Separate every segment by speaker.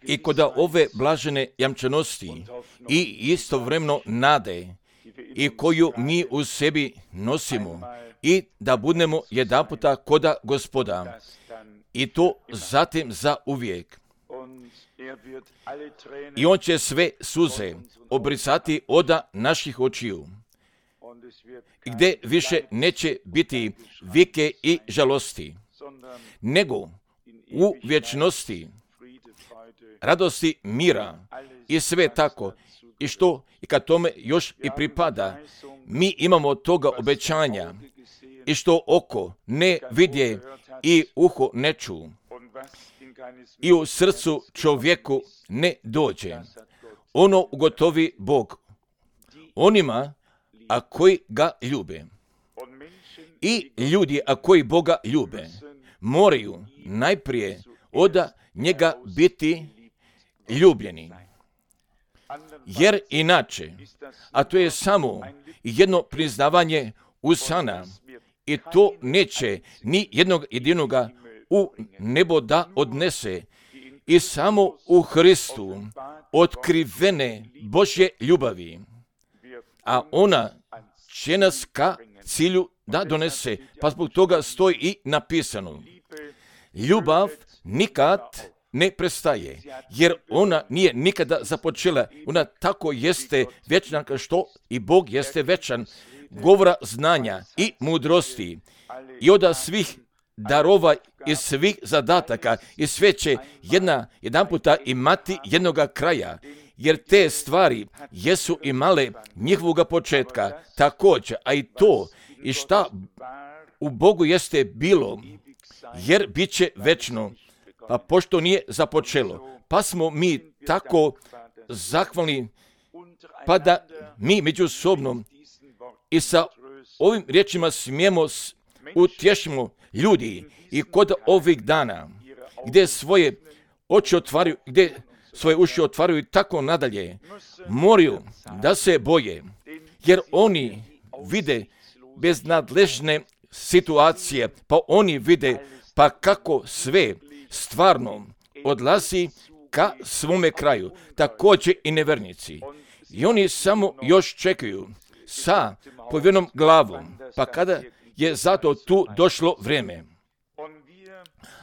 Speaker 1: I kod ove blažene jamčanosti i istovremeno nade i koju mi u sebi nosimo i da budemo jedanputa koda Gospoda i to zatim za uvijek. I on će sve suze obrisati od naših očiju, gdje više neće biti vike i žalosti, nego u vječnosti radosti, mira i sve tako. I što i kad tome još i pripada, mi imamo toga obećanja i što oko ne vidje i uho ne ču i u srcu čovjeku ne dođe. Ono ugotovi Bog onima a koji ga ljube. I ljudi a koji Boga ljube moraju najprije od njega biti ljubljeni. Jer inače, a to je samo jedno priznavanje usana i to neće ni jednog jedinoga u nebo da odnese i samo u Hristu otkrivene Božje ljubavi, a ona će nas ka cilju da donese, pa zbog toga stoji i napisano: ljubav nikad ne prestaje, jer ona nije nikada započela, ona tako jeste vječna kao što i Bog jeste vječan, govora znanja i mudrosti i od svih darova i svih zadataka i sve će jedanputa imati jednoga kraja, jer te stvari jesu imale njihovoga početka također, a i to i šta u Bogu jeste bilo, jer bit će večno, pa pošto nije započelo, pa smo mi tako zahvalni, pa da mi međusobno i sa ovim riječima smijemo utješimo ljudi i kod ovih dana, gdje svoje oči otvaraju, gdje svoje uši otvaraju i tako nadalje, moraju da se boje, jer oni vide beznadležne situacije, pa oni vide pa kako sve stvarno odlazi ka svome kraju, također i nevernici. I oni samo još čekaju sa povjerenom glavom, pa kada je zato tu došlo vrijeme.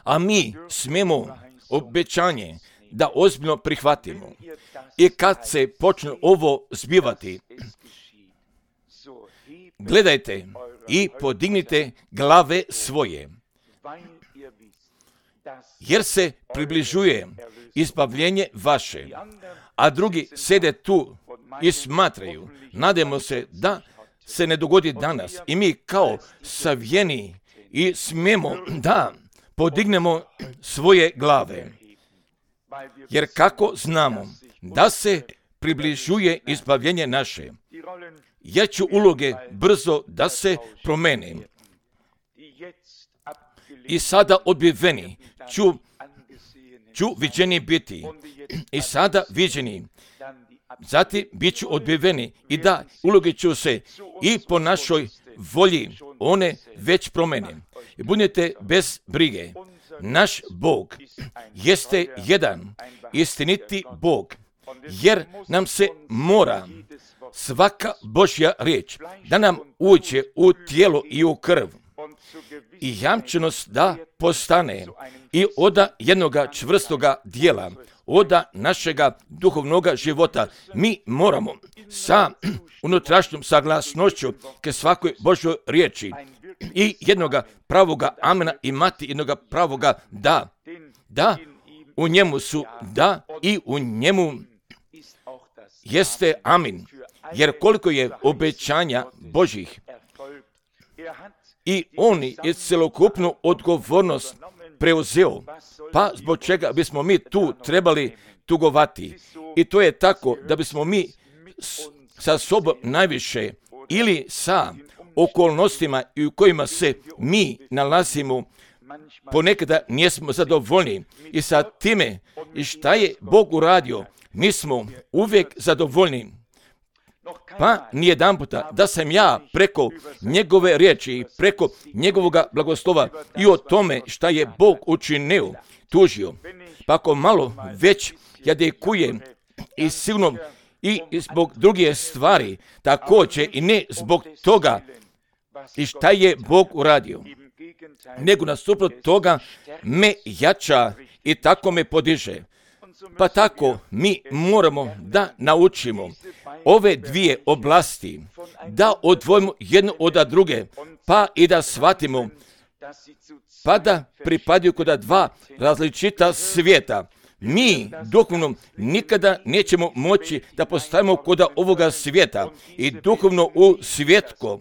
Speaker 1: A mi smijemo obećanje da ozbiljno prihvatimo. I kad se počne ovo zbivati, gledajte i podignite glave svoje, jer se približuje izbavljenje vaše, a drugi sede tu i smatraju. Nadamo se da se ne dogodi danas i mi kao savjeni i smijemo da podignemo svoje glave. Jer kako znamo da se približuje izbavljenje naše, jer će uloge brzo da se promene. I sada odbiveni ću viđeni biti. I sada viđeni. Zatim bit ću odbiveni i da uloge ću se i po našoj volji one već promene. I budete bez brige. Naš Bog jeste jedan istiniti Bog, jer nam se mora svaka Božja riječ da nam uđe u tijelo i u krv i jamčenost da postane i od jednoga čvrstoga dijela, od našega duhovnoga života. Mi moramo sa unutrašnjom saglasnošću ke svakoj Božjoj riječi i jednoga pravoga amena imati jednoga pravoga da. Da, u njemu su da i u njemu jeste amin. Jer koliko je obećanja Božjih i on je celokupnu odgovornost preuzeo, pa zbog čega bismo mi tu trebali tugovati. I to je tako da bismo mi sa sobom najviše ili sa okolnostima u kojima se mi nalazimo ponekada nismo zadovoljni i sa time i šta je Bog uradio, mi smo uvijek zadovoljni. Pa nijedan puta da sam ja preko njegove riječi i preko njegovoga blagoslova i o tome šta je Bog učinio, tužio. Pa ako malo već jadikujem i silno i zbog druge stvari, također i ne zbog toga i šta je Bog uradio, nego nasuprot toga me jača i tako me podiže. Pa tako mi moramo da naučimo ove dvije oblasti, da odvojimo jednu od druge, pa i da shvatimo, pa da pripadaju kod dva različita svijeta. Mi duhovno nikada nećemo moći da postavimo kod ovoga svijeta i duhovno u svjetko.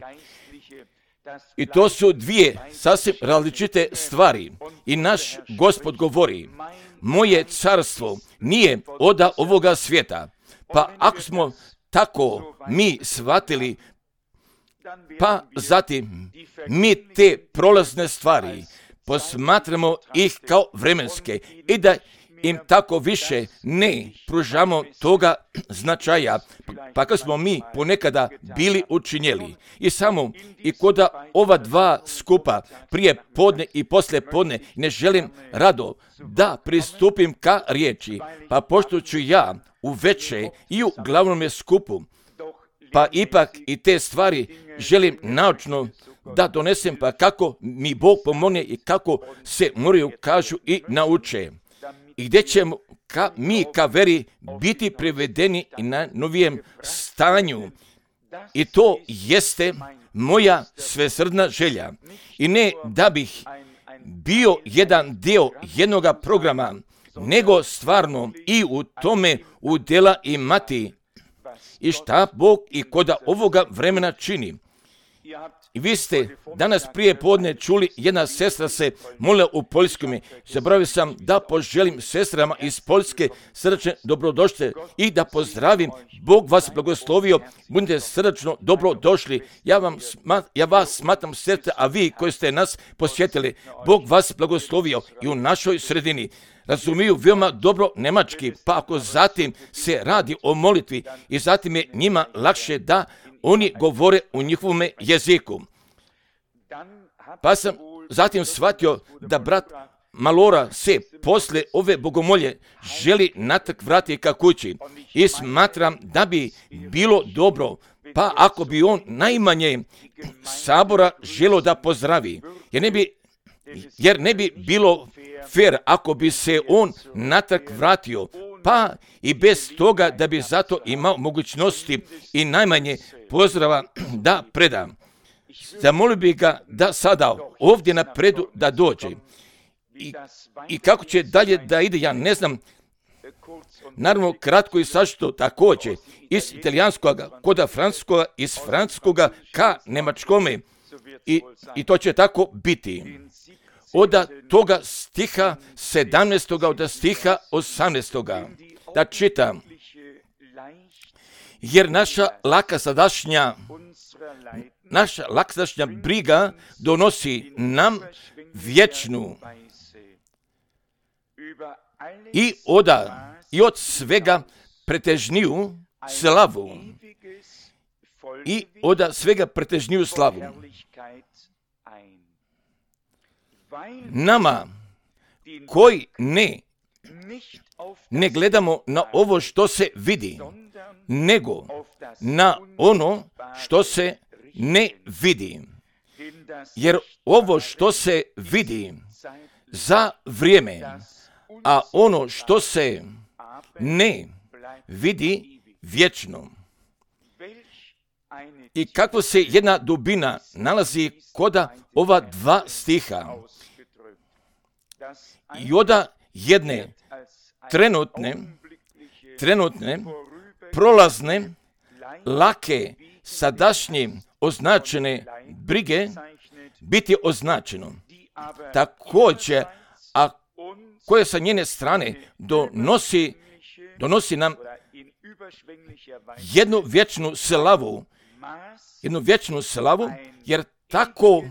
Speaker 1: I to su dvije sasvim različite stvari. I naš Gospod govori, moje carstvo nije od ovoga svijeta. Pa ako smo tako mi shvatili, pa zatim mi te prolazne stvari posmatramo ih kao vremenske i da im tako više ne pružamo toga značaja, pa kad smo mi ponekada bili učinjeli. I samo i kod ova dva skupa, prije podne i poslije podne, ne želim rado da pristupim ka riječi, pa pošto ću ja u veće i u glavnom skupu, pa ipak i te stvari želim naučno da donesem, pa kako mi Bog pomogne i kako se moraju kažu i nauče. I gdje ćemo mi ka veri biti privedeni i na novijem stanju. I to jeste moja svesrdna želja. I ne da bih bio jedan dio jednoga programa, nego stvarno i u tome udjela imati i šta Bog i kod ovoga vremena čini. I vi ste danas prije podne čuli, jedna sestra se molila u Poljskome. Zaboravio sam da poželim sestrama iz Poljske srdačne dobrodošle i da pozdravim. Bog vas blagoslovio, budite srdačno dobrodošli. Ja vas smatram sestre, a vi koji ste nas posjetili, Bog vas blagoslovio i u našoj sredini. Razumiju veoma dobro nemački, pa ako zatim se radi o molitvi i zatim je njima lakše da oni govore u njihovom jeziku. Pa sam zatim shvatio da brat Malora se posle ove bogomolje želi natrag vratiti ka kući i smatram da bi bilo dobro, pa ako bi on najmanje sabora želio da pozdravi, jer ne bi bilo fair ako bi se on natrag vratio, pa i bez toga da bi zato imao mogućnosti i najmanje pozdrava da predam. Zamolio bih ga da sada ovdje napredu da dođe. I kako će dalje da ide, ja ne znam. Naravno, kratko i sašto također, iz italijanskoga, kod francuskoga, iz francuskoga ka nemačkome. I to će tako biti. Od toga stiha 17. od stiha 18. Da čitam. Jer naša laka sadašnja briga donosi nam vječnu i od svega pretežniju slavu. I od svega pretežniju slavu. Nama koji ne gledamo na ovo što se vidi, nego na ono što se ne vidi. Jer ovo što se vidi za vrijeme, a ono što se ne vidi vječno. I kako se jedna dubina nalazi kod ova dva stiha. I od jedne trenutne, prolazne, lake, sadašnje označene brige biti označeno. Također, a koje sa njene strane donosi nam jednu vječnu slavu, jer tako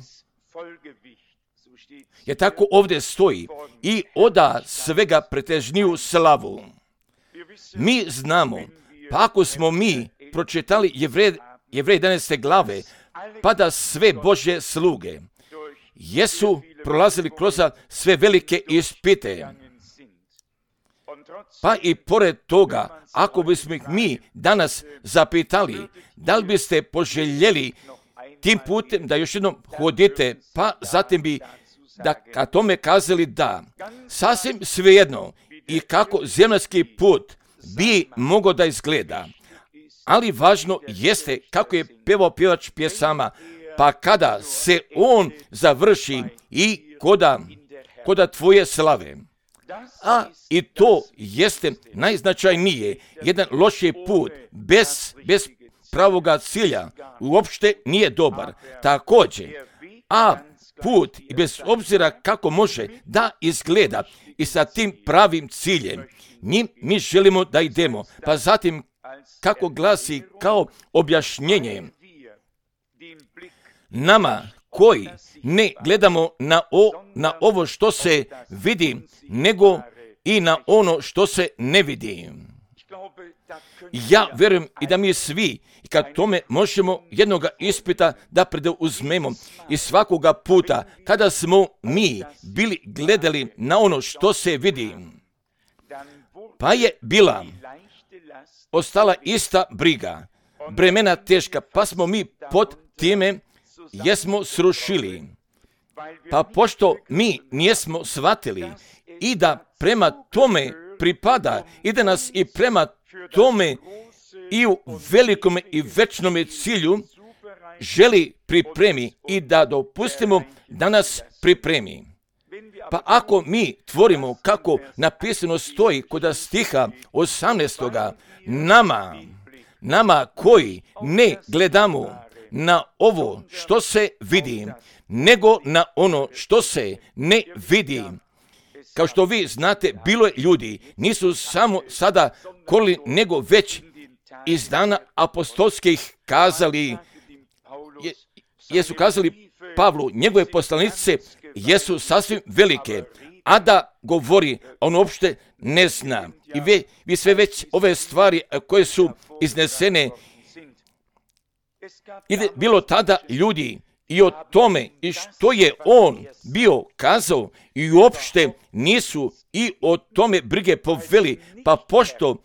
Speaker 1: ovdje stoji i oda svega pretežniju slavu. Mi znamo, pa ako smo mi pročitali Jevrej 11. glave, pa da sve Božje sluge jesu prolazili kroz sve velike ispite. Pa i pored toga, ako bismo ih mi danas zapitali, da li biste poželjeli tim putem da još jednom hodite, pa zatim bi da ka tome kazali da. Sasvim svejedno i kako zemaljski put bi mogao da izgleda. Ali važno jeste kako je pevao pjevač pjesama, pa kada se on završi i koda tvoje slave. A i to jeste najznačajnije. Jedan loši put bez pravoga cilja uopšte nije dobar. Također, a put i bez obzira kako može da izgleda i sa tim pravim ciljem, njim mi želimo da idemo. Pa zatim, kako glasi kao objašnjenje, nama koji ne gledamo na ovo što se vidi, nego i na ono što se ne vidi. Ja vjerujem i da mi svi, kad tome možemo jednoga ispita da preuzmemo i svakoga puta, kada smo mi bili gledali na ono što se vidi, pa je bila ostala ista briga, bremena teška, pa smo mi pod time jesmo srušili. Pa pošto mi nijesmo shvatili i da prema tome pripada i da nas i prema tome i u velikome i večnome cilju želi pripremi i da dopustimo da nas pripremi. Pa ako mi tvorimo kako napisano stoji kod stiha 18. nama koji ne gledamo na ovo što se vidi, nego na ono što se ne vidi. Kao što vi znate, bilo je ljudi, nisu samo sada kolili, nego već iz dana apostolskih kazali, jesu kazali Pavlu, njegove poslanice jesu sasvim velike, a da govori, on uopšte ne zna. I vi sve već ove stvari koje su iznesene, i bilo tada ljudi i o tome i što je on bio kazao i uopšte nisu i o tome brige poveli, pa pošto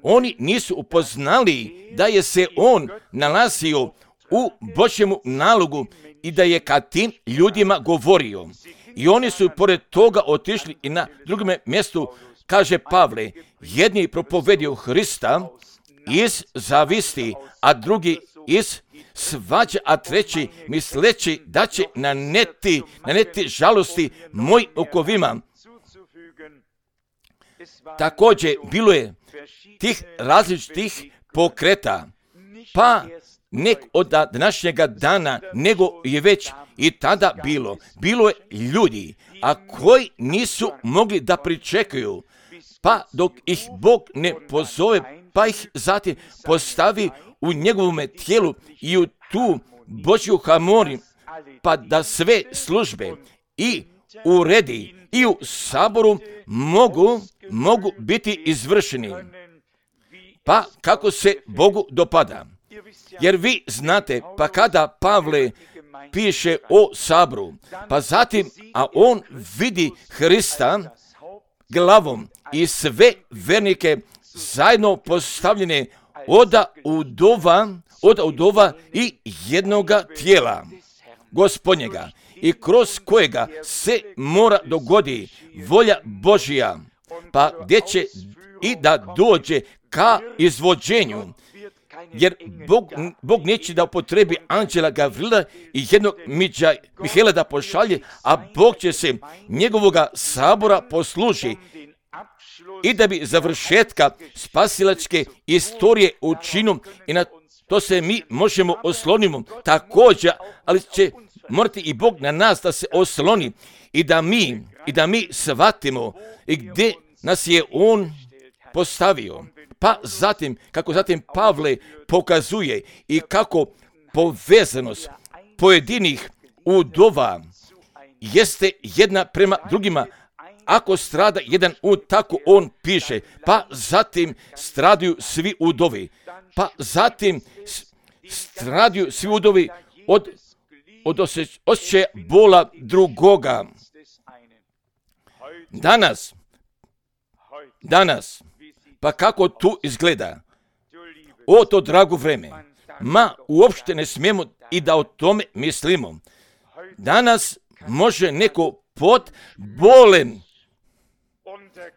Speaker 1: oni nisu upoznali da je se on nalazio u Božjemu nalogu i da je ka tim ljudima govorio. I oni su pored toga otišli i na drugom mjestu, kaže Pavle, jedni propovedio Hrista iz zavisti, a drugi iz svađa, a treći misleći da će naneti žalosti moj okovima. Također bilo je tih različitih pokreta, pa nek od današnjega dana, nego je već i tada bilo. Bilo je ljudi, a koji nisu mogli da pričekaju, pa dok ih Bog ne pozove, pa ih zatim postavi u njegovome tijelu i u tu Božju harmoniju, pa da sve službe i uredi i u saboru mogu biti izvršeni. Pa kako se Bogu dopada. Jer vi znate, pa kada Pavle piše o saboru, pa zatim, a on vidi Hrista glavom i sve vernike zajedno postavljene od udova i jednoga tijela Gospodnjega, i kroz kojega se mora dogodi volja Božja, pa gdje će i da dođe ka izvođenju. Jer Bog neće da upotrebi anđela Gavrila i jednog Mihela da pošalje, a Bog će se njegovoga sabora posluži i da bi završetka spasilačke istorije učinu, i na to se mi možemo oslonimo također, ali će morati i Bog na nas da se osloni i da mi shvatimo i gdje nas je On postavio. Pa zatim, kako zatim Pavle pokazuje i kako povezanost pojedinih udova jeste jedna prema drugima, ako strada jedan ud, tako on piše, pa zatim stradaju svi udovi, pa zatim stradaju svi udovi od osjećaja bola drugoga. Danas, pa kako tu izgleda? O, to drago vreme. Uopšte ne smijemo i da o tome mislimo. Danas može neko pod bolem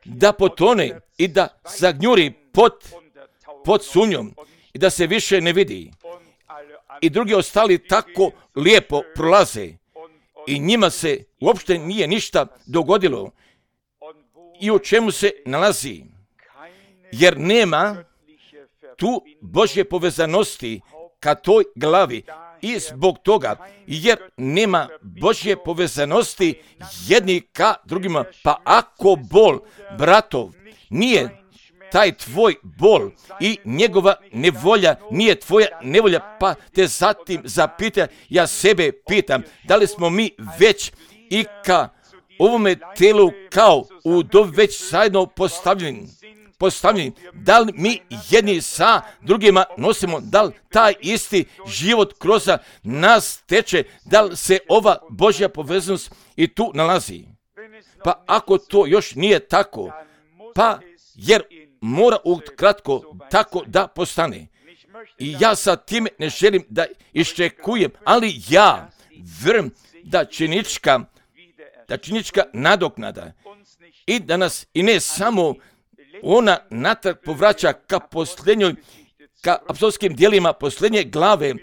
Speaker 1: da potone i da zagnjuri pod sunjom i da se više ne vidi. I drugi ostali tako lijepo prolaze i njima se uopšte nije ništa dogodilo. I u čemu se nalazi? Jer nema tu Božje povezanosti ka toj glavi. I zbog toga, jer nema Božje povezanosti jedni ka drugima, pa ako bol bratov nije taj tvoj bol i njegova nevolja nije tvoja nevolja, pa te zatim zapita, ja sebe pitam, da li smo mi već i ka ovome telu kao udovi već zajedno postavljeni, da li mi jedni sa drugima nosimo, da li taj isti život kroz nas teče, da li se ova Božja povezanost i tu nalazi. Pa ako to još nije tako, pa jer mora ukratko tako da postane. I ja sa time ne želim da iščekujem, ali ja vjerujem da činička nadoknada i da nas i ne samo ona natrag povraća ka apostolskim djelima posljednje glave,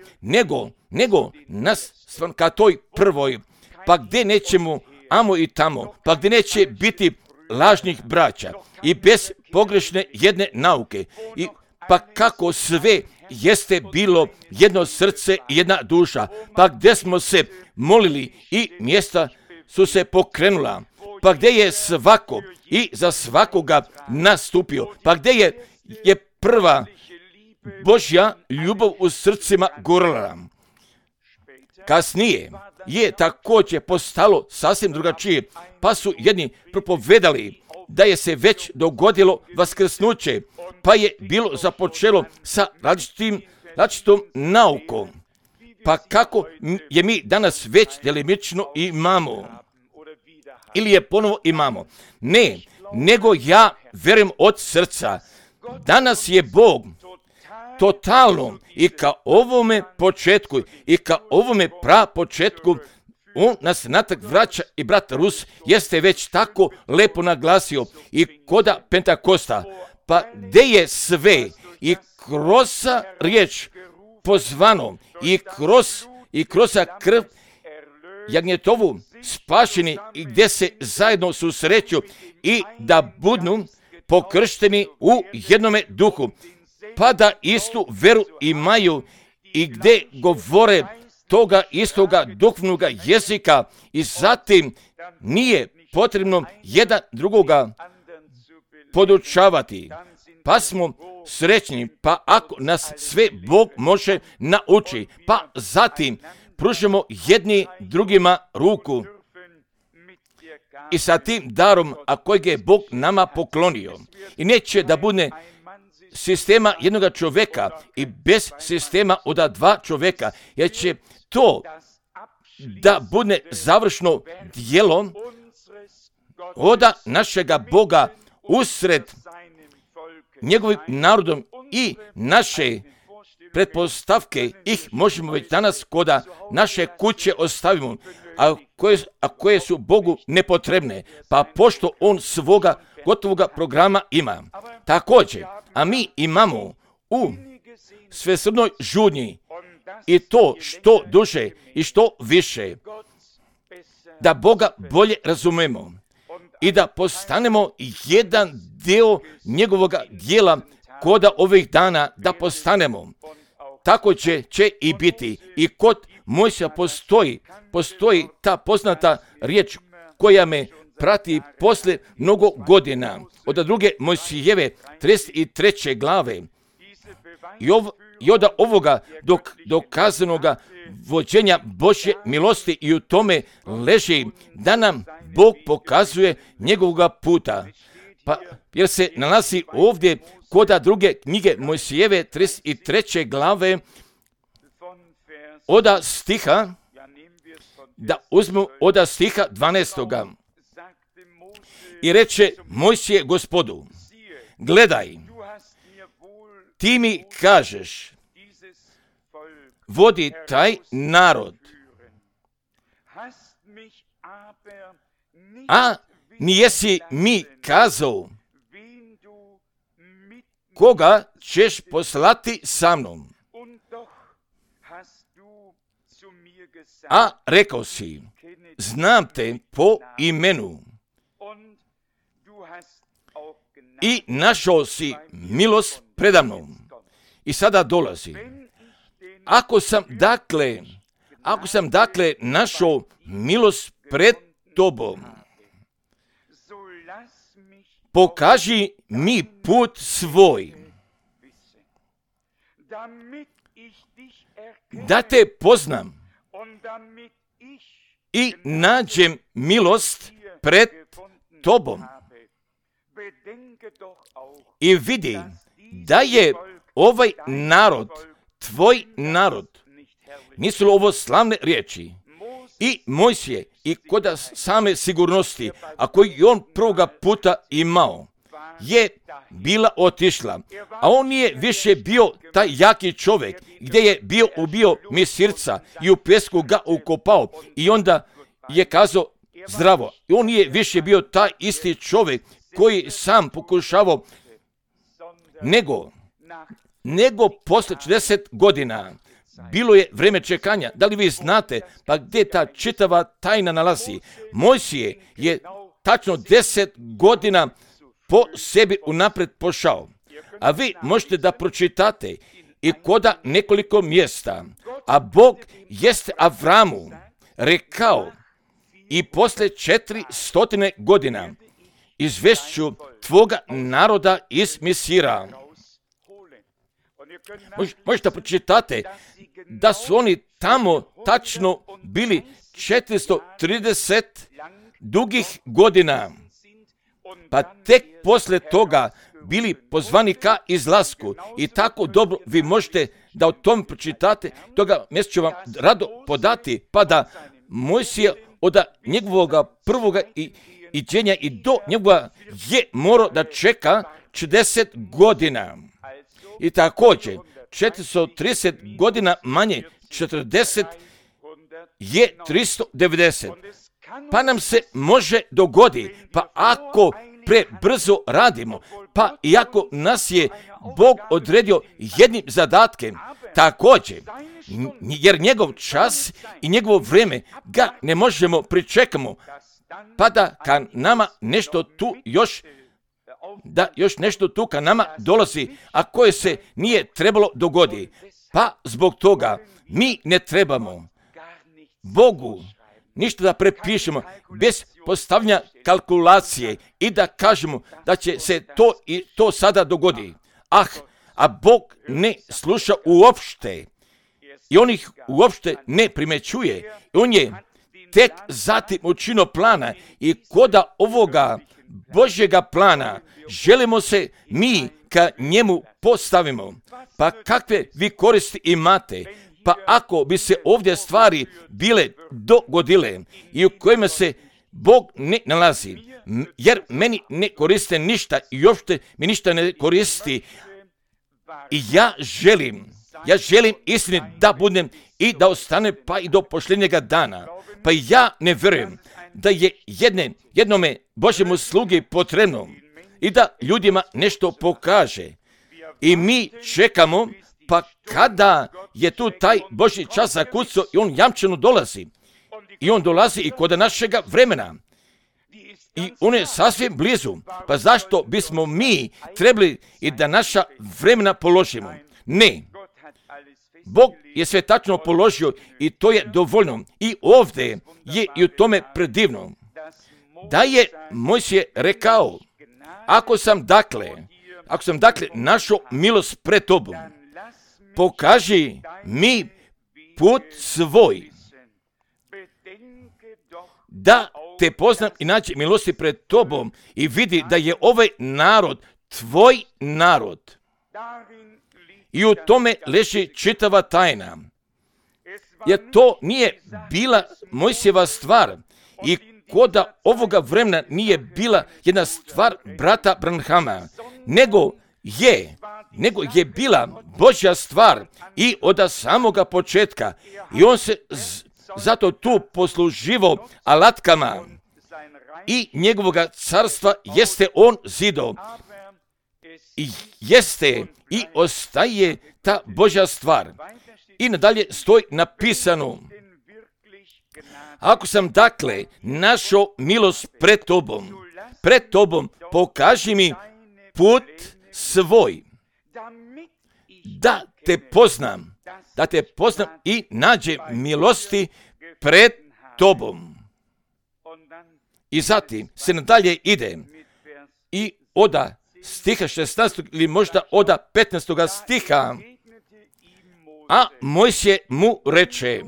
Speaker 1: nego nas ka toj prvoj, pa gdje nećemo amo i tamo, pa gdje neće biti lažnih braća i bez pogrešne jedne nauke, i pa kako sve jeste bilo jedno srce i jedna duša, pa gdje smo se molili i mjesta su se pokrenula, pa gdje je svako i za svakoga nastupio, pa gdje je prva Božja ljubav u srcima gorila. Kasnije je također postalo sasvim drugačije, pa su jedni propovedali da je se već dogodilo vaskrsnuće, pa je bilo započelo sa različitom naukom. Pa kako je mi danas već delimično imamo, ili je ponovo imamo? Ne, nego ja vjerujem od srca. Danas je Bog totalno i ka ovome početku i ka ovome prapočetku on nas natrag vraća, i brat Rus jeste već tako lepo naglasio i koda Pentakosta, pa gdje je sve i kroz riječ pozvano i kroz krv jagnjetovu spašeni, i gdje se zajedno susreću i da budu pokršteni u jednome duhu, pa da istu veru imaju i gdje govore toga istoga duhovnog jezika, i zatim nije potrebno jedan drugoga podučavati. Pa smo srećni, pa ako nas sve Bog može nauči, pa zatim pružimo jedni drugima ruku i sa tim darom, a kojeg je Bog nama poklonio. I neće da bude sistema jednoga čovjeka i bez sistema od dva čovjeka, jer će to da bude završno djelo od našega Boga usred njegovim narodom, i naše pretpostavke ih možemo već danas koda naše kuće ostavimo, a koje su Bogu nepotrebne, pa pošto on svoga gotovoga programa ima. Također, a mi imamo u svesrdnoj žudnji i to što duže i što više, da Boga bolje razumemo i da postanemo jedan dio njegovog djela koda ovih dana da postanemo. Tako će i biti. I kod Mojsija postoji ta poznata riječ koja me prati posle mnogo godina. Od druge Mojsijeve 33. glave. I od ovoga dokazanoga vođenja Božje milosti i u tome leži da nam Bog pokazuje njegovoga puta. Pa jer se nalazi ovdje kod druge knjige Mojsijeve 33. glave od stiha, da uzmu od stiha 12. I reče Mojsije Gospodu, gledaj, ti mi kažeš, vodi taj narod, a nijesi mi kazao, koga ćeš poslati sa mnom. A rekao si, znam te po imenu i našao si milost predamnom. I sada dolazi. Ako sam dakle našao milost pred tobom, pokaži mi put svoj, da te poznam i nađem milost pred tobom. I vidi da je ovaj narod, tvoj narod. Nisu li ovo slavne riječi? I Mojsije, i kod same sigurnosti, a koji on prvoga puta imao, je bila otišla. A on nije više bio taj jaki čovjek, gdje je bio ubio Misirca i u pesku ga ukopao i onda je kazao zdravo. I on nije više bio taj isti čovjek koji sam pokušavao, nego posle 40 godina bilo je vrijeme čekanja. Da li vi znate pa gdje ta čitava tajna nalazi? Mojsije je tačno 10 godina po sebi unapred pošao. A vi možete da pročitate i koda nekoliko mjesta. A Bog jeste Avramu rekao, i posle 400 godina izvešću tvoga naroda iz Misira. Možete pročitate da su oni tamo tačno bili 430 dugih godina, pa tek posle toga bili pozvani ka izlasku. I tako dobro vi možete da o tom pročitate, toga mjesto ću vam rado podati, pa da Mojsije od njegovog prvoga iđenja i do njegova je morao da čeka 40 godina. I također 430 godina manje 40 je 390. Pa nam se može dogodi, pa ako prebrzo radimo, pa iako nas je Bog odredio jednim zadatkem, također, jer njegov čas i njegovo vrijeme ga ne možemo pričekamo, pa da ka nama nešto tu još nešto tu ka nama dolazi, a koje se nije trebalo dogoditi. Pa zbog toga mi ne trebamo Bogu ništa da prepišemo bez postavljanja kalkulacije i da kažemo da će se to i to sada dogodi. A Bog ne sluša uopšte i on ih uopšte ne primećuje. On je tek zatim učinio plana i koda ovoga Božjega plana želimo se mi ka njemu postavimo. Pa kakve vi koristi imate? Pa ako bi se ovdje stvari bile dogodile i u kojima se Bog ne nalazi, jer meni ne koriste ništa i uopšte mi ništa ne koristi, i ja želim istini da budem i da ostane pa i do posljednjega dana. Pa ja ne vjerujem da je jednome Božjemu slugi potrebno i da ljudima nešto pokaže. I mi čekamo, pa kada je tu taj Božji čas zakucao i on jamčeno dolazi. I on dolazi i kod našega vremena. I on je sasvim blizu. Pa zašto bismo mi trebali i da naša vremena položimo? Ne. Bog je sve tačno položio i to je dovoljno. I ovdje je i u tome predivno. Da je Mojsije rekao, ako sam dakle našao milost pred tobom, pokaži mi put svoj, da te poznam i naći milosti pred tobom i vidi da je ovaj narod tvoj narod. I u tome leži čitava tajna. Jer to nije bila Mojsijeva stvar i koda ovoga vremena nije bila jedna stvar brata Branhama, nego je bila Božja stvar i od samoga početka. I on se zato tu posluživo alatkama i njegovoga carstva jeste on zido. I jeste i ostaje ta Božja stvar. I nadalje stoji napisano: ako sam dakle našao milost pred tobom pokaži mi put svoj, da te poznam i nađe milosti pred tobom. I zatim se nadalje ide i od stiha 16. ili možda od 15. stiha, a Mojsije mu reče: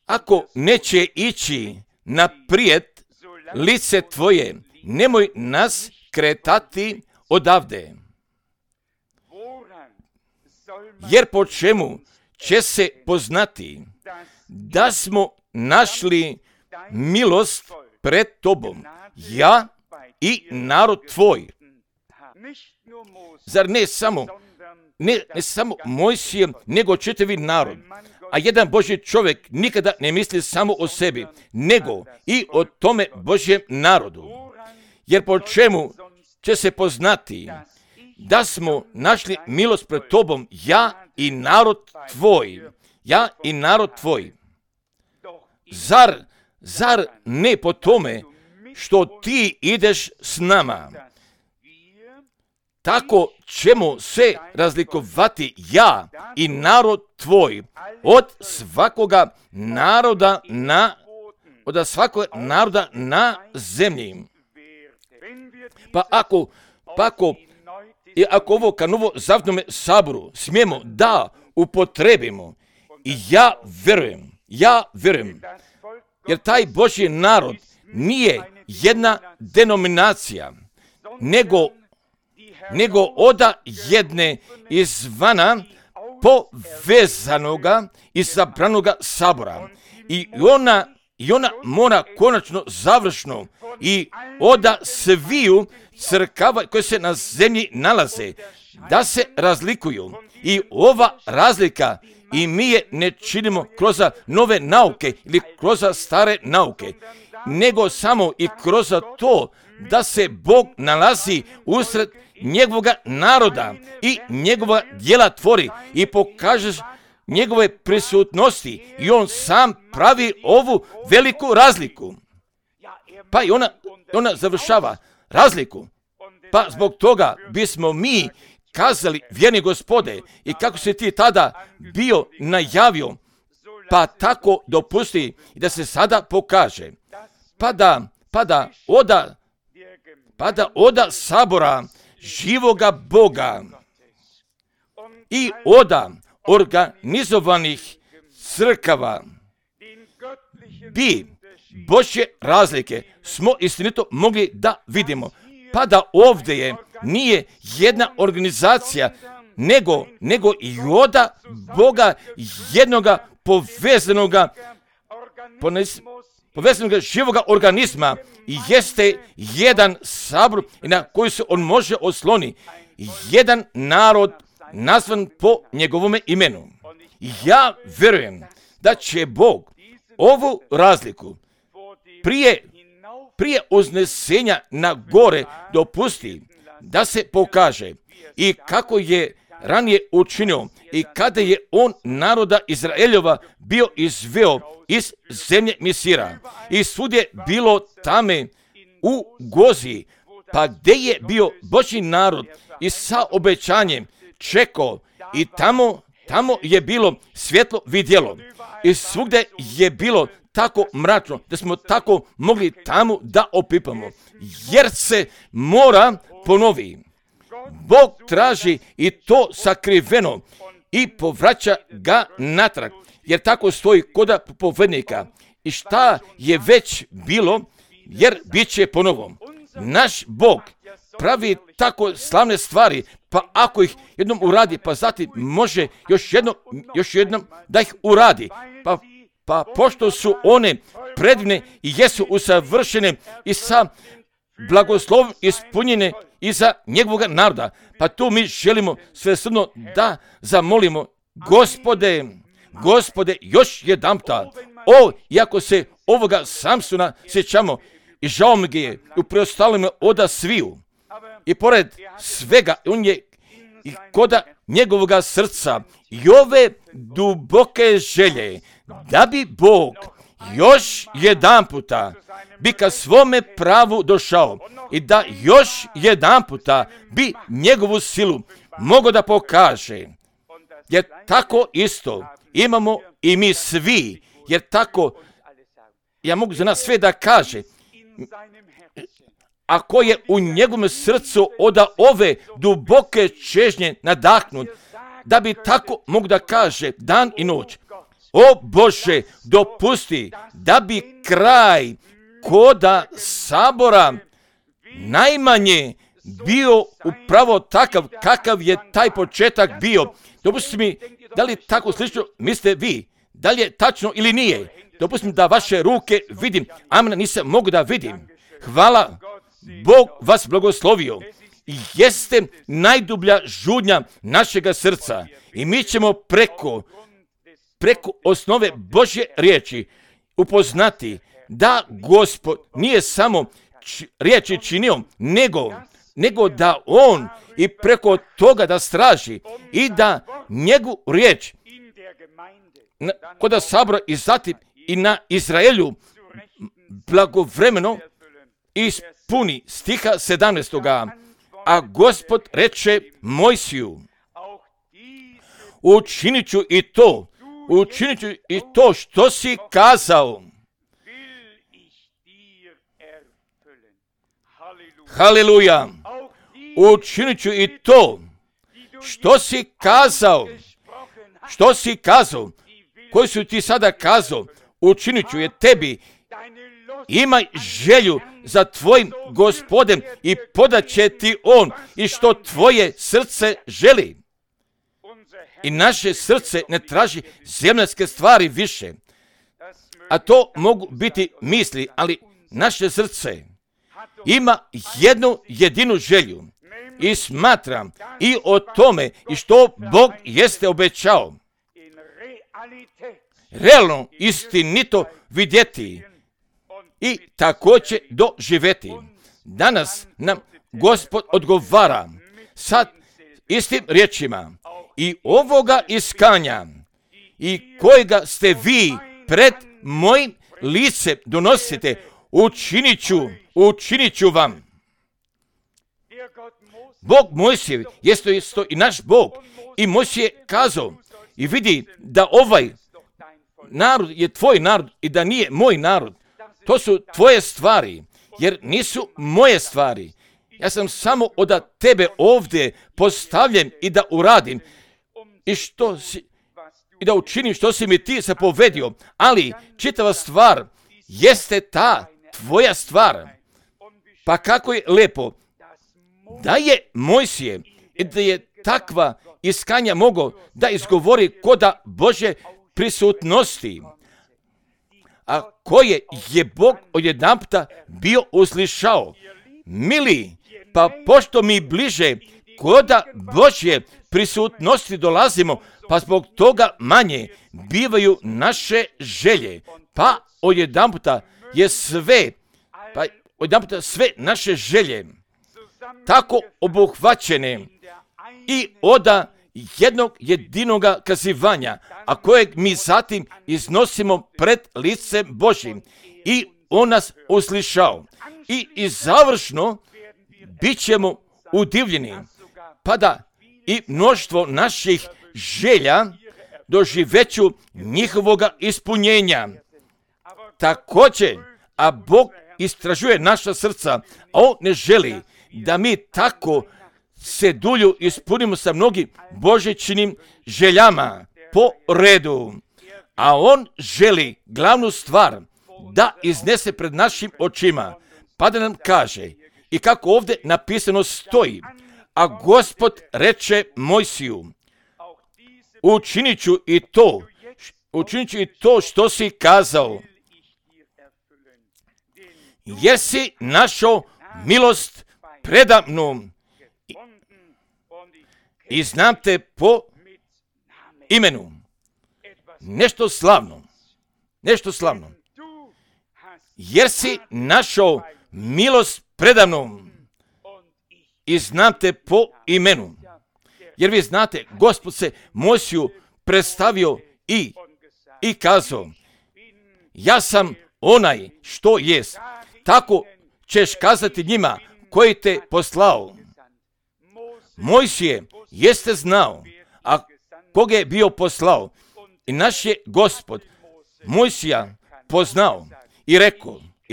Speaker 1: ako neće ići naprijed lice tvoje, nemoj nas kretati odavde. Jer po čemu će se poznati da smo našli milost pred tobom, ja i narod tvoj? Zar ne samo Mojsije, nego čitavi narod? A jedan Božji čovjek nikada ne misli samo o sebi, nego i o tome Božjem narodu. Jer po čemu će se poznati da smo našli milost pred tobom, ja i narod tvoj? Zar ne po tome što ti ideš s nama? Tako ćemo se razlikovati ja i narod tvoj od svakoga naroda na zemlji. Pa ako ovo ka novo zavnome saboru smijemo da upotrebimo, i ja vjerujem, jer taj Božji narod nije jedna denominacija, nego od jedne izvana povezanoga i zabranoga sabora. I ona mora konačno završno i od sviju crkava koje se na zemlji nalaze da se razlikuju. I ova razlika i mi je ne činimo kroz nove nauke ili kroz stare nauke, nego samo i kroz to da se Bog nalazi usred njegovoga naroda i njegova djela tvori i pokažeš njegove prisutnosti i on sam pravi ovu veliku razliku. Pa i ona završava razliku. Pa zbog toga bismo mi kazali: vjerni Gospode, i kako si ti tada bio najavio, pa tako dopusti i da se sada pokaže. Pada oda sabora živoga Boga i oda organizovanih crkava bi Božje razlike smo istinito mogli da vidimo. Pa da ovdje nije jedna organizacija, nego i oda Boga jednoga povezanoga živoga organizma i jeste jedan sabor na koji se on može osloni, jedan narod nazvan po njegovome imenu. Ja vjerujem da će Bog ovu razliku prije uznesenja na gore dopusti da se pokaže i kako je ranije učinio i kada je on naroda Izraeljova bio izveo iz zemlje Misira i svudje bilo tame u Gozi, pa gdje je bio Božji narod i sa obećanjem čekao i tamo je bilo svjetlo vidjelo i svugdje je bilo tako mračno da smo tako mogli tamo da opipamo, jer se mora ponovi. Bog traži i to sakriveno i povraća ga natrag jer tako stoji koda propovednika. I šta je već bilo, jer bit će ponovo. Naš Bog pravi tako slavne stvari, pa ako ih jednom uradi, pa zatim može još jednom da ih uradi. Pa pošto su one predivne i jesu usavršene i sa blagoslovom ispunjene i za njegovog naroda, pa tu mi želimo svesrdno da zamolimo Gospode, još jedanputa. Iako se ovoga Samsona sjećamo i žao mi je u preostalima oda sviju. I pored svega, on je i koda njegovoga srca i ove duboke želje, da bi Bog još jedanputa bi ka svome pravu došao i da još jedanputa bi njegovu silu mogao da pokaže. Jer tako isto imamo i mi svi, jer tako, ja mogu za nas sve da kaže, ako je u njegovom srcu od ove duboke čežnje nadahnut, da bi tako mogu da kaže dan i noć, o Bože, dopusti da bi kraj koda sabora najmanje bio upravo takav kakav je taj početak bio. Dopustite mi, da li tako slično mislite vi? Da li je tačno ili nije? Dopustite mi da vaše ruke vidim. Amen, nisam mogu da vidim. Hvala, Bog vas blagoslovio. Jeste najdublja žudnja našega srca i mi ćemo preko osnove Božje riječi upoznati da Gospod nije samo riječi činio, nego da on i preko toga da straži i da njegovu riječ kod sabora i zatim i na Izraelju blagovremeno ispuni. Stiha 17. A Gospod reče Mojsiju, učinit ću i to što si kazao. Haleluja. Učinit ću i to što si kazao, koji su ti sada kazao, učinit ću je tebi. Imaj želju za tvojim Gospodem i podat će ti on i što tvoje srce želi. I naše srce ne traži zemaljske stvari više, a to mogu biti misli, ali naše srce ima jednu jedinu želju i smatram i o tome i što Bog jeste obećao realno istinito vidjeti i također doživjeti. Danas nam Gospod odgovara sad istim riječima i ovoga iskanja i kojega ste vi pred mojim licem donosite, učinit ću vam. Bog Mojsijev jeste isto i naš Bog i Mojsije kazao i vidi da ovaj narod je tvoj narod i da nije moj narod. To su tvoje stvari, jer nisu moje stvari. Ja sam samo od tebe ovdje postavljen i da uradim i da učinim što si mi ti zapovedio. Ali čitava stvar jeste ta tvoja stvar. Pa kako je lepo da je Mojsije i da je takva iskanja mogao da izgovori koda Bože prisutnosti, a koje je Bog odjedanputa bio uslišao. Mili, pa pošto mi bliže koda Božje prisutnosti dolazimo, pa zbog toga manje bivaju naše želje, pa odjedanputa je sve sve naše želje tako obuhvaćene i od jednog jedinoga kazivanja, a kojeg mi zatim iznosimo pred licem Božjim i on nas uslišao. I završno bit ćemo udivljeni, pa da i mnoštvo naših želja doživeću njihovoga ispunjenja. Također, a Bog istražuje naša srca, a on ne želi da mi tako se dulju ispunimo sa mnogim božićnim željama po redu. a on želi glavnu stvar da iznese pred našim očima, pa da nam kaže, i kako ovdje napisano stoji, a Gospod reče Mojsiju, učinit ću i to što si kazao, jer si našao milost predamnom i znam te po imenu. Nešto slavno. Jer si našao milost predamnom i znam te po imenu. Jer vi znate, Gospod se Mojsiju predstavio i kazao, ja sam onaj što jest. Tako ćeš kazati njima koji te poslao. Mojsije jeste znao, a koga je bio poslao. I naš je Gospod Mojsija poznao i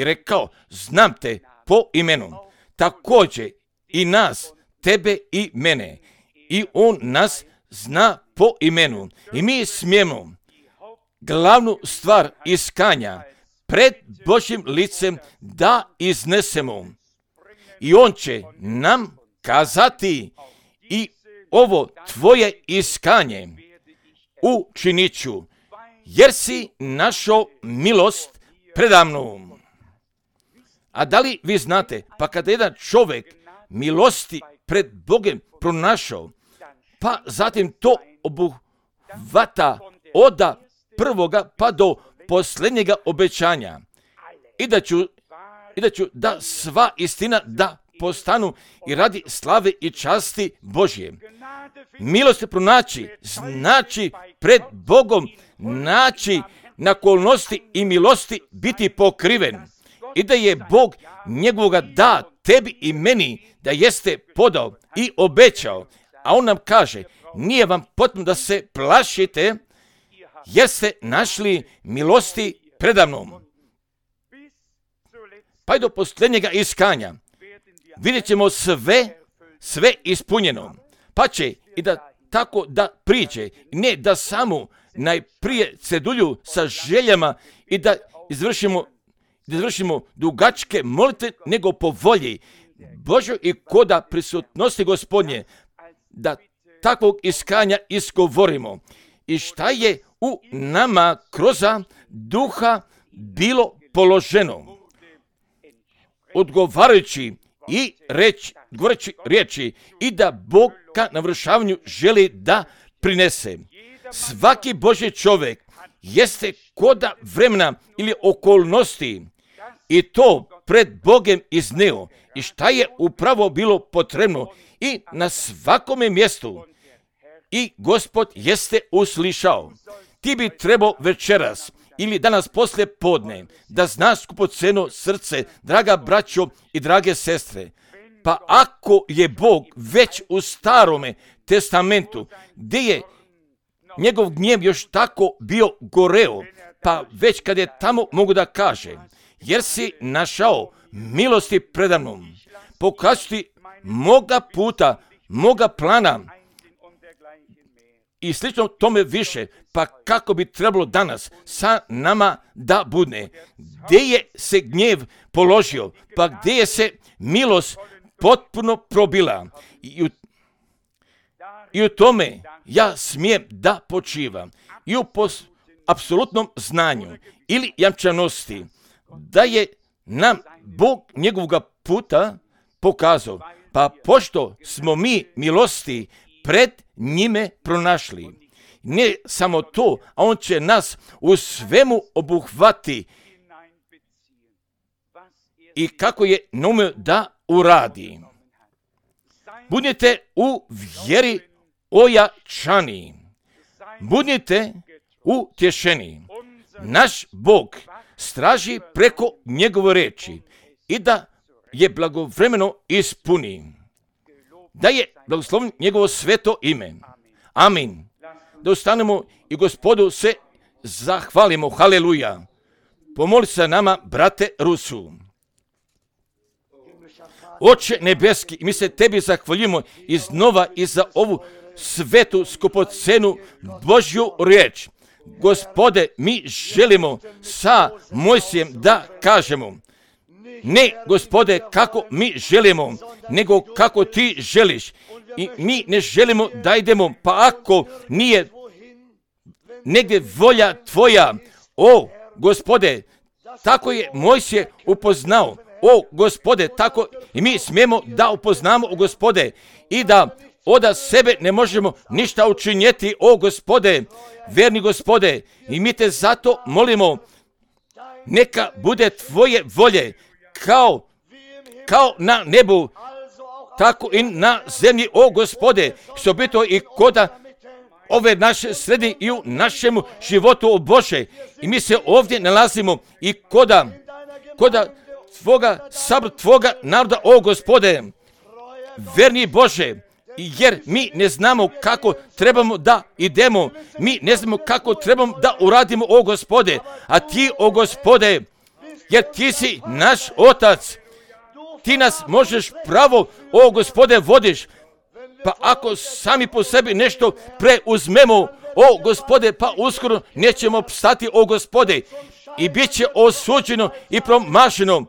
Speaker 1: rekao, znam te po imenu. Također i nas, tebe i mene. I on nas zna po imenu. I mi smijemo glavnu stvar iskanja pred Božjim licem da iznesemo. I on će nam kazati, i ovo tvoje iskanje učinit ću, jer si našao milost predamnom. A da li vi znate, pa kada jedan čovjek milosti pred Bogom pronašao, pa zatim to obuhvata od prvoga pa do posljednjega obećanja, i da ću da sva istina da postanu i radi slave i časti Božje. Milost pronaći znači pred Bogom naći na okolnosti i milosti biti pokriven, i da je Bog njegovoga da tebi i meni da jeste podao i obećao. A on nam kaže, nije vam potrebno da se plašite, jer ste našli milosti predamnom. Pa i do posljednjega iskanja vidjet ćemo sve ispunjeno. Pa će i da tako da priđe, ne da samo najprije cedulju sa željama i da izvršimo dugačke molitve, nego po volji Božoj i koda prisutnosti Gospodnje, da takvog iskanja isgovorimo. I šta je u nama kroz duha bilo položeno, odgovarajući i govoreći riječi, i da Bog ka navršavanju želi da prinese. Svaki Božji čovjek jeste koda vremena ili okolnosti i to pred Bogem izneo, i šta je upravo bilo potrebno i na svakome mjestu. I Gospod jeste uslišao. Ti bi trebao večeras ili danas poslije podne da znaš skupoceno srce, draga braćo i drage sestre. Pa ako je Bog već u Starome testamentu, gdje je njegov gnjev još tako bio goreo, pa već kad je tamo mogu da kaže, jer si našao milosti predamnom, pokazuti moga puta, moga plana i slično tome više, pa kako bi trebalo danas sa nama da bude. Gdje je se gnjev položio, pa gdje je se milost potpuno probila. I u tome ja smijem da počivam. I u apsolutnom znanju ili jamčanosti da je nam Bog njegovoga puta pokazao. Pa pošto smo mi milosti pred njime pronašli. Ne samo to, a on će nas u svemu obuhvati i kako je naumio da uradi. Budite u vjeri ojačani. Budite utješeni. Naš Bog straži preko njegove riječi i da je blagovremeno ispuni. Da je blagoslovno njegovo sveto ime. Amin. Da ustanemo i Gospodu se zahvalimo. Haleluja. Pomoli se nama, brate Rusu. Oče nebeski, mi se tebi zahvaljujemo iznova i za ovu svetu skupocenu Božju riječ. Gospode, mi želimo sa Mojsijem da kažemo, ne, Gospode, kako mi želimo, nego kako ti želiš. I mi ne želimo da idemo, pa ako nije negdje volja tvoja, o Gospode, tako je Mojsije upoznao, o Gospode, tako i mi smijemo da upoznamo o Gospode i da od sebe ne možemo ništa učinjeti, o Gospode, verni Gospode, i mi te zato molimo, neka bude tvoje volje, kao na nebu, tako i na zemlji, o Gospode, što bi to i koda ove naše sredine i u našemu životu, o Bože. I mi se ovdje nalazimo i koda tvoga naroda, o Gospode, verni Bože, jer mi ne znamo kako trebamo da idemo, mi ne znamo kako trebamo da uradimo, o Gospode, a ti, o Gospode, jer ti si naš otac, ti nas možeš pravo, o Gospode, vodiš, pa ako sami po sebi nešto preuzmemo, o Gospode, pa uskoro nećemo opstati, o Gospode, i bit će osuđeno i promašeno.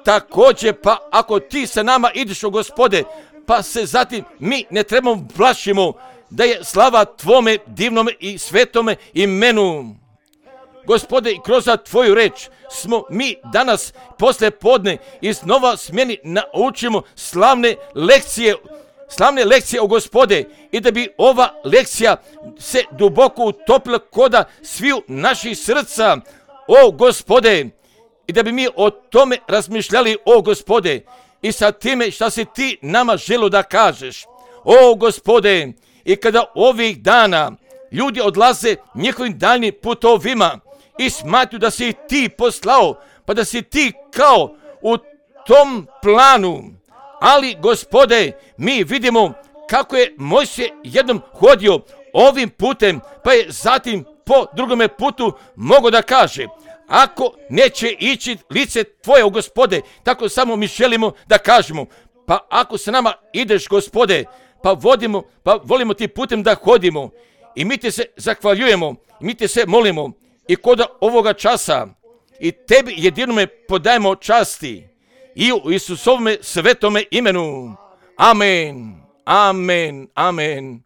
Speaker 1: Također, pa ako ti sa nama ideš, o Gospode, pa se zatim mi ne trebamo plašimo da je slava tvome divnome i svetome imenu. Gospode, i kroz tvoju reč smo mi danas posle podne iznova smjeni naučimo slavne lekcije, o Gospode, i da bi ova lekcija se duboko utopila koda sviju naših srca, o Gospode, i da bi mi o tome razmišljali, o Gospode, i sa time šta si ti nama želo da kažeš, o Gospode. I kada ovih dana ljudi odlaze njihovim daljnim putovima i smatruju da si ti poslao, pa da si ti kao u tom planu, ali Gospode, mi vidimo kako je Mojsije jednom hodio ovim putem, pa je zatim po drugome putu mogao da kaže, ako neće ići lice tvoje, o Gospode, tako samo mi želimo da kažemo, pa ako sa nama ideš, Gospode, pa volimo ti putem da hodimo, i mi ti se zahvaljujemo, i mi ti se molimo, i kod ovoga časa, i tebi jedinome podajemo časti, i u Isusovome svetome imenu. Amen, amen, amen.